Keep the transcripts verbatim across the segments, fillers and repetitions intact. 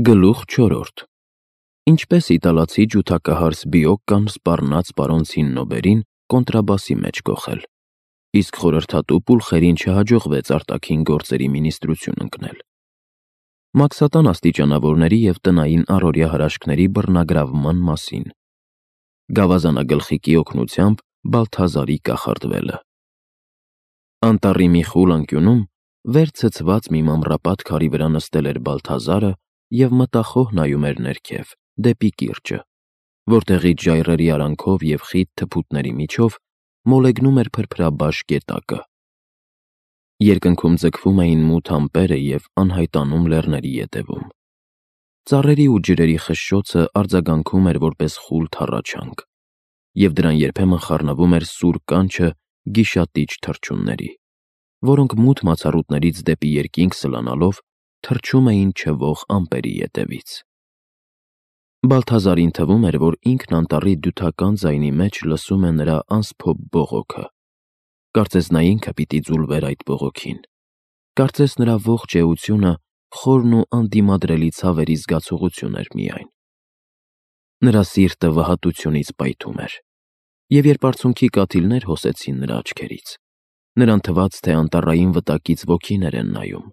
Գլուխ չորրորդ. Ինչպես իտալացի ջութակահարս Բիոկկան սպառնաց պարոն Ցիննոբերին կոնտրաբասի մեջ կոխել, իսկ խորհրդատու Պուլխերին չհաջողվեց արտաքին գործերի մինիստրություն ընկնել։ Մաքսատան աստիճանավորների և տնային առօրյա հրաշքների բռնագրավման մասին։ Գավազանագլխիկի օգնությամբ Բալթազարի կախարդվելը։ Անտառի մի խուլ անկյունում վեր ցցված մի մանրապատ քարի վրա նստել էր Բալթազարը և մտախոհ նայում էր ներքև, դեպի կիրճը, որտեղից ժայռերի արանքով և խիտ թփուտների միջով մոլեգնում էր փրփրաբաշ գետակը։ Երկնքում ձգվում էին մութ ամպերը և անհայտանում լեռների ետևում։ Ծառերի ու ջրերի խշշոցը արձագանքում էր որպես խուլ թռաչանք, և դրան երբեմն խառնվում էր սուր կանչը գիշատիչ թռչունների, որոնք մութ մացառուտներից դեպի երկինք սլանալով թռչում էին չվող ամպերի ետևից։ Բալթազարին թվում էր, որ ինքն անտառի դյութական ձայնի մեջ լսում է նրա անսփոփ բողոքը։ Կարծես նա ինքը պիտի ձուլվեր այդ բողոքին։ Կարծես նրա ողջ էությունը խորն ու անդիմադրելի ցավերի զգացողություն էր միայն։ Նրա սիրտը վհատությունից պայթում էր, և երբ արցունքի կաթիլներ հոսեցին նրա աչքերից, նրան թվաց, թե անտառային վտակից ոգիներ են նայում,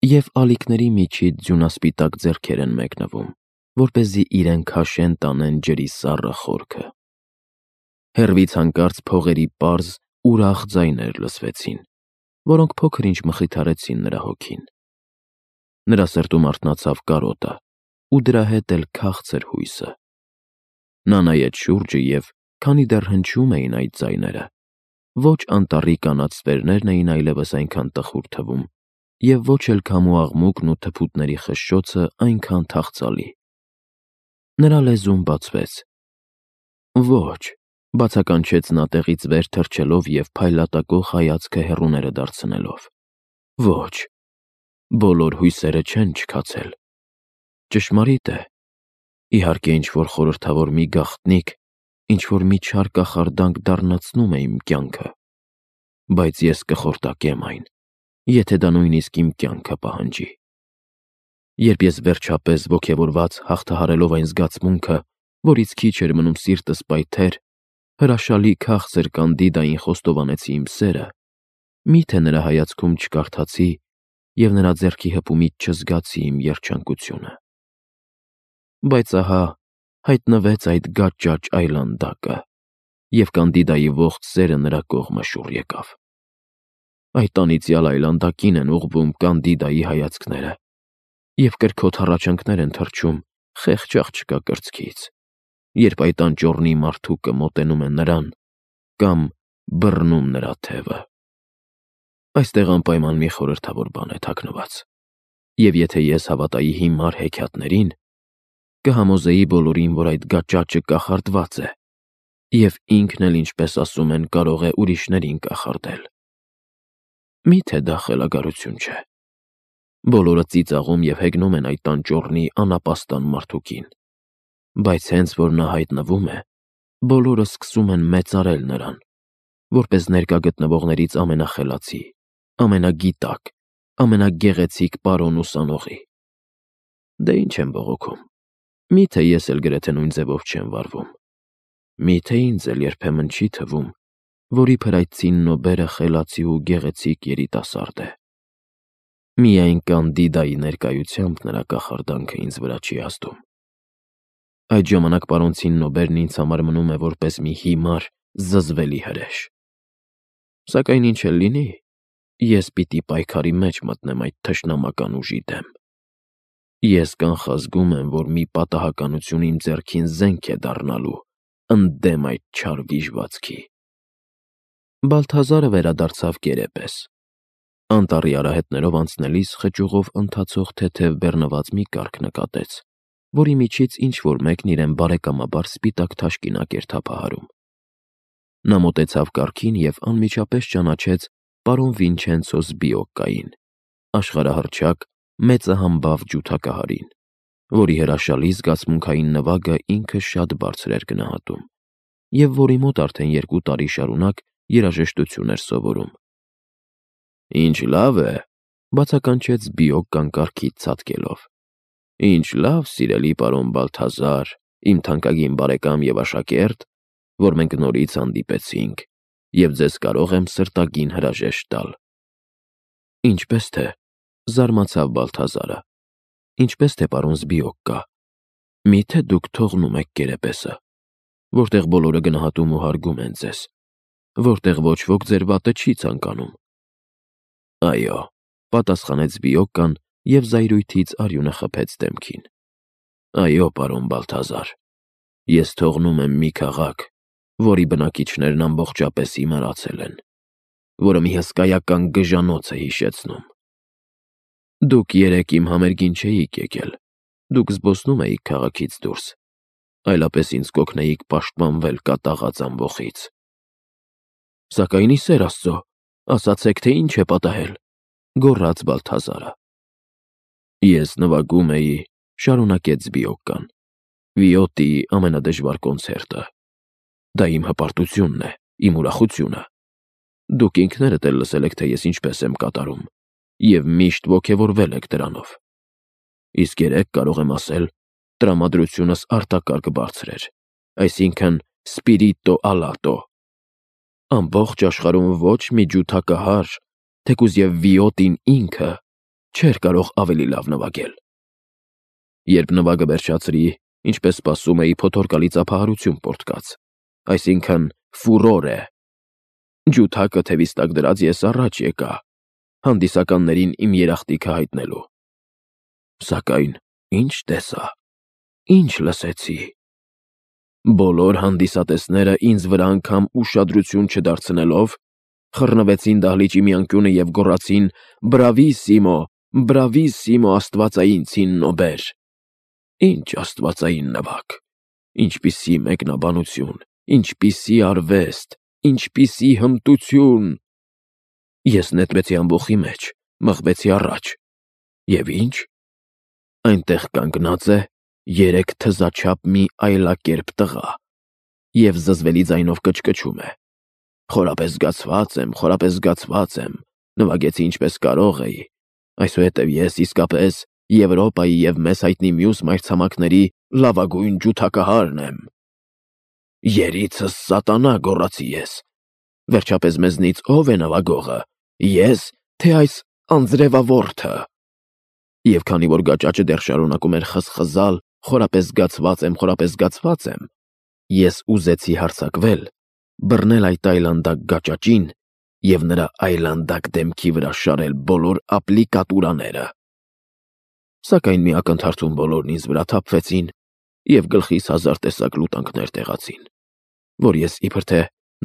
և ալիքների միջից ձյունասպիտակ ձեռքեր են մեկնվում, որպեսզի իրեն քաշեն տանեն ջրի սառը խորքը։ Հեռվից հանկարծ փողերի պարզ, ուրախ ձայներ լսվեցին, որոնք փոքր-ինչ մխիթարեցին նրա հոգին։ Նրա սրտում արթնացավ կարոտը, ու դրա հետ էլ քաղցր հույսը։ Նա նայեց շուրջը և, քանի դեռ հնչում էին այդ ձայները, ոչ անտառի կանաչ ստվերներն էին այլևս այնքան տխուր թվում, և ոչ էլ քամու աղմուկն ու թփուտների խշշոցը այնքան թախծալի։ Նրա լեզուն բացվեց։ «Ոչ», բացականչեց նա տեղից վեր թռչելով և փայլատակող հայացքը հեռուները դարձնելով։ «Ոչ, բոլոր հույսերը չեն չքացել։ Ճշմարիտ է, իհարկե, ինչ-որ խորհրդավոր մի գաղտնիք, ինչ-որ մի չար կախարդանք դառնացնում է իմ կյանքը, բայց ես կխորտակեմ այն, եթե դա նույնիսկ իմ կյանքը պահանջի։ Երբ ես վերջապես ոգևորված հաղթահարելով այն զգացմունքը, որից քիչ էր մնում սիրտս պայթեր, հրաշալի քաղցր Կանդիդային խոստովանեցի իմ սերը, մի՞թե նրա հայացքում չկարդացի և նրա ձեռքի հպումից չզգացի իմ երջանկությունը։ Բայց ահա հայտնվեց այդ գաճաճ այլանդակը, և Կանդիդայի ողջ սերը նրա կողմը շուռ եկավ։ Այդ անիծյալ այլանդակին են ուղղվում Կանդիդայի հայացքները, և կրքոտ հառաչանքներ են թռչում խեղճ աղջկա կրծքից, երբ այդ անճոռնի մարդուկը մոտենում է նրան կամ բռնում նրա թևը։ Այստեղ անպայման մի խորհրդավոր բան է թաքնված, և եթե ես հավատայի հիմար հեքիաթներին, կհամոզեի բոլորին, որ այդ գաճաճը կախարդված է, և ինքն էլ, ինչպես ասում են, կարող է ուրիշներին կախարդել։ Մի՞թե դա խելագարություն չէ։ Բոլորը ծիծաղում և հեգնում են այդ անճոռնի անապաստան մարդուկին, բայց հենց որ նա հայտնվում է, բոլորը սկսում են մեծարել նրան, որպես ներկա գտնվողներից ամենախելացի, ամենագիտակ, ամենագեղեցիկ պարոն ուսանողի։ Դե ինչ եմ բողոքում, մի՞թե ես էլ գրեթե նույն ձևով չեմ վարվում։ Մի՞թե ինձ էլ երբեմն չի թվում, որ իբր այդ Ցիննոբերը խելացի ու գեղեցիկ երիտասարդ է։ Միայն Կանդիդայի ներկայությամբ նրա կախարդանքը ինձ վրա չի ազդում։ Այդ ժամանակ պարոն Ցիննոբերն ինձ համար մնում է որպես մի հիմար, զզվելի հրեշ։ Սակայն ինչ էլ լինի, ես պիտի պայքարի մեջ մտնեմ այդ թշնամական ուժի դեմ։ Ես կանխազգում եմ, որ մի պատահականություն իմ ձեռքին զենք է դառնալու ընդդեմ այդ չար վիժվածքի։ Բալթազարը վերադարձավ կերեպես։ Անտառի արահետներով անցնելիս խճուղով ընթացող թեթև բեռնված մի կառք նկատեց, որի միջից ինչ-որ մեկն իրեն բարեկամաբար սպիտակ թաշկինակ էր թափահարում։ Նա մոտեցավ կառքին և անմիջապես ճանաչեց պարոն Վինչենցո Սբիոկկային, աշխարհահռչակ, մեծահամբավ ջութակահարին, որի հրաշալի զգացմունքային նվագը ինքը շատ բարձր էր գնահատում, և որի մոտ արդեն երկու տարի շարունակ երաժշտություն էր սովորում։ «Ինչ լավ է», բացականչեց Սբիոկկան կառքից ցատկելով։ Ինչ լավ, սիրելի պարոն Բալթազար, իմ թանկագին բարեկամ և աշակերտ, որ մենք նորից հանդիպեցինք, և ձեզ կարող եմ սրտագին հրաժեշտ տալ։ Ինչպես թե, զարմացավ Բալթազարը, ինչպես թե պարոն Զբիոկկա, միթե դուք թողնում եք կերեպեսը, որտեղ բոլորը գնահատում ու հարգում են ձեզ, որտեղ ոչ ոք ձեր վատը չի ցանկանում։ Այո, պատասխանեց Զբիոկկան և զայրույթից արյունը խփեց դեմքին։ Այո, պարոն Բալթազար, ես թողնում եմ մի քաղաք, որի բնակիչներն ամբողջապես իմարացել են, որը մի հսկայական գժանոց է հիշեցնում։ Դուք երեկ իմ համերգին չէիք եկել, դուք զբոսնում էիք քաղաքից դուրս, այլապես ինձ կօգնեիք պաշտպանվել կատաղած ամբոխից։ Սակայն ի սեր Աստծո, ասացեք, թե ինչ է պատահել, գոռաց Բալթազարը։ Ես նվագում էի, շարունակեց Զբիոկկան, Վիոտիի ամենադժվար կոնցերտը։ Դա իմ հպարտությունն է, իմ ուրախությունը։ Դուք ինքներդ էլ լսել եք, թե ես ինչպես եմ կատարում, և միշտ ոգևորվել եք դրանով։ Իսկ երեկ կարող եմ ասել, տրամադրությունս արտակարգ բարձր էր, այսինքն spirito alato։ Ամբողջ աշխարհում ոչ մի ջութակահար, թեկուզ և Վիոտին ինքը, չէր կարող ավելի լավ նվագել։ Երբ նվագը վերջացրի, ինչպես սպասում էի, փոթորկալի ծափահարություն պոռթկաց, այսինքն ֆուրորե։ Ջութակը թևիս տակ դրած ես առաջ եկա, հանդիսականներին իմ երախտիկը հայտնելու։ Սակայն ինչ տեսա, ինչ լսեցի։ Բոլոր հանդիսատեսները ինձ վրա անգամ ուշադրություն չդարձնելով, խռնվեցին դահլիճի մի անկյունը և գոռացին. «Բրավիսիմո, բրավիսիմո, աստվածային ցիննոբեր»։ Ինչ աստվածային նվագ, ինչպիսի մեկնաբանություն, ինչպիսի արվեստ, ինչպիսի հմտություն։ Ես նետվեցի ամբոխի մեջ, մղվեցի առաջ։ Եվ ինչ։ Այնտեղ կանգնած է երեք թզաչափ մի այլակերպ տղա և զզվելի ձայնով կչկչում է. «Խորապես զգացված եմ, խորապես զգացված եմ, նվագեցի ինչպես կարող էի, այսուհետև ես իսկապես Եվրոպայի և մեզ հայտնի մյուս մայրցամաքների լավագույն ջութակահարն եմ»։ Երիցս սատանա, գոռացի ես։ Վերջապես մեզնից ո՞վ է նվագողը, ես, թե այս անձրևավորթը։ Եվ քանի որ գաճաճը դեռ շարունակում էր խզխզալ. «Խորապես զգացված եմ, խորապես զգացված եմ», ես ուզեցի հարձակվել, բռնել այդ այլանդակ գաճաճին և նրա այլանդակ դեմքի վրա շարել բոլոր ապլիկատուրաները։ Սակայն մի ակնթարթում բոլորն ինձ վրա թափվեցին և գլխիս հազար տեսակ լուտանքներ տեղացին, որ ես իբր թե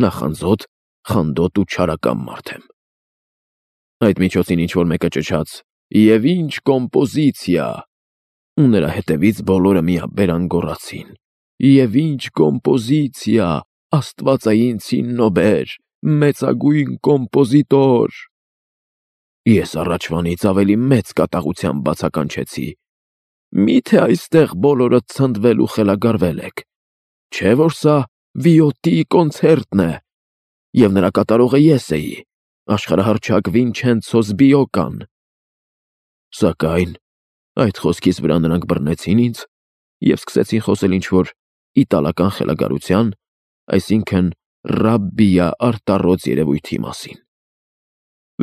նախանձոտ, խանդոտ ու չարակամ մարդ եմ։ Այդ միջոցին ինչ-որ մեկը ճչաց. «Եվ ինչ կոմպոզիցիա», ու նրա հետևից բոլորը միաբերան գոռացին. «Եվ ինչ կոմպոզիցիա, աստվածային ցիննոբեր, մեծագույն կոմպոզիտոր»։ Ես առաջվանից ավելի մեծ կատաղությամբ բացականչեցի. «Մի՞թե այստեղ բոլորը ցնդվել ու խելագարվել եք, չէ՞ որ սա Վիոտիի կոնցերտն է, և նրա կատարողը ես էի, աշխարհահռչակ Վինչենցո Զբիոկկան»։ Սակայն այդ խոսքիս վրա նրանք բռնեցին ինձ և սկսեցին խոսել ինչ-որ իտալական խելագարության, այսինքն ռաբբիա արտառոց երևույթի մասին։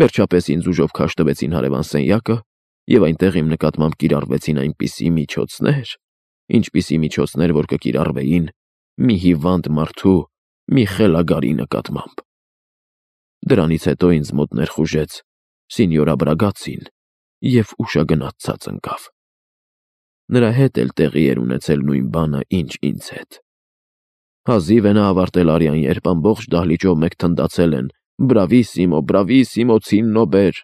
Վերջապես ինձ ուժով քաշ տվեցին հարևան սենյակը, և այնտեղ իմ նկատմամբ կիրառվեցին այնպիսի միջոցներ, ինչպիսի միջոցներ, որ կկիրառվեին մի հիվանդ մարդու, մի խելագարի նկատմամբ։ Դրանից հետո ինձ մոտ ներխուժեց Սինյորա Բրագացին և ուշագնաց ցած ընկավ։ Նրա հետ էլ տեղի էր ունեցել նույն բանը, ինչ ինձ հետ։ Հազիվ է նա ավարտել արյան, երբ ամբողջ դահլիճով մեկ թնդացել են. «Բրավիսիմո, բրավիսիմո, ցիննոբեր»,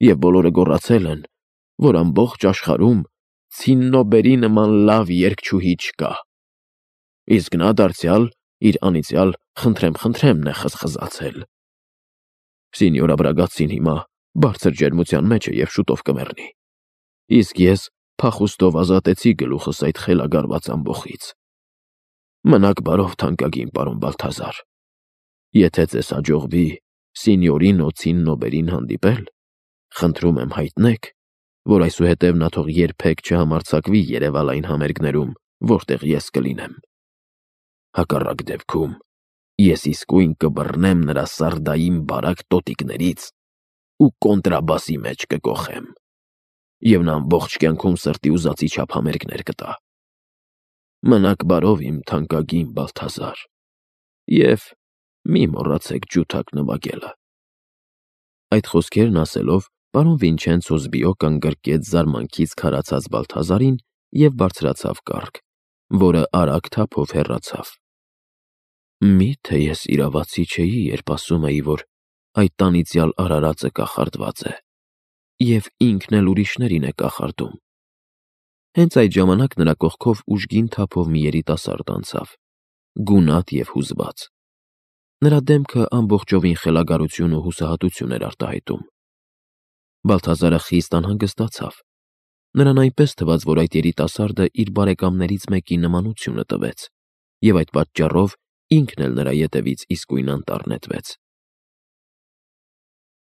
և բոլորը գոռացել են, որ ամբողջ աշխարհում ցիննոբերի նման լավ երգչուհի չկա։ Իսկ նա դարձյալ իր անիծյալ «խնդրեմ, խնդրեմն» է խզխզացել։ Սինյորա Բրագացին հիմա բարձր ջերմության մեջ է և շուտով կմեռնի, իսկ ես փախուստով ազատեցի գլուխս այդ խելագարված ամբոխից։ Մնաք բարով, թանկագին պարոն Բալթազար, եթե ձեզ հաջողվի Սինյորինո Ցիննոբերին հանդիպել, խնդրում եմ հայտնեք, որ այսուհետև նա թող երբեք չհամարձակվի երևալ այն համերգներում, որտեղ ես կլինեմ։ Հակառակ դեպքում ես իսկույն կբռնեմ նրա սարդային բարակ տոտիկներից ու կոնտրաբասի մեջ կկոխեմ, և նա ամբողջ կյանքում սրտի ուզածի չափ համերգներ կտա։ Մնաք բարով, իմ թանկագին Բալթազար, և մի մոռացեք ջութակ նվագելը։ Այդ խոսքերն ասելով, պարոն Վինչենցո Զբիոկան գրկեց զարմանքից քարացած Բալթազարին և բարձրացավ կառք, որը արագ թափով հեռացավ։ Մի՞թե ես իրավացի չէի, երբ ասում էի, որ այդ անիծյալ արարածը կախարդված է, և ինքն էլ ուրիշներին է կախարդում։ Հենց այդ ժամանակ նրա կողքով ուժգին թափով մի երիտասարդ անցավ, գունատ և հուզված։ Նրա դեմքը ամբողջովին խելագարություն ու հուսահատություն էր արտահայտում։ Բալթազարը խիստ անհանգստացավ։ Նրան այնպես թվաց, որ այդ երիտասարդը իր բարեկամներից մեկի նմանությունը տվեց, և այդ պատճառով ինքն էլ նրա ետևից իսկույն անտառ նետվեց։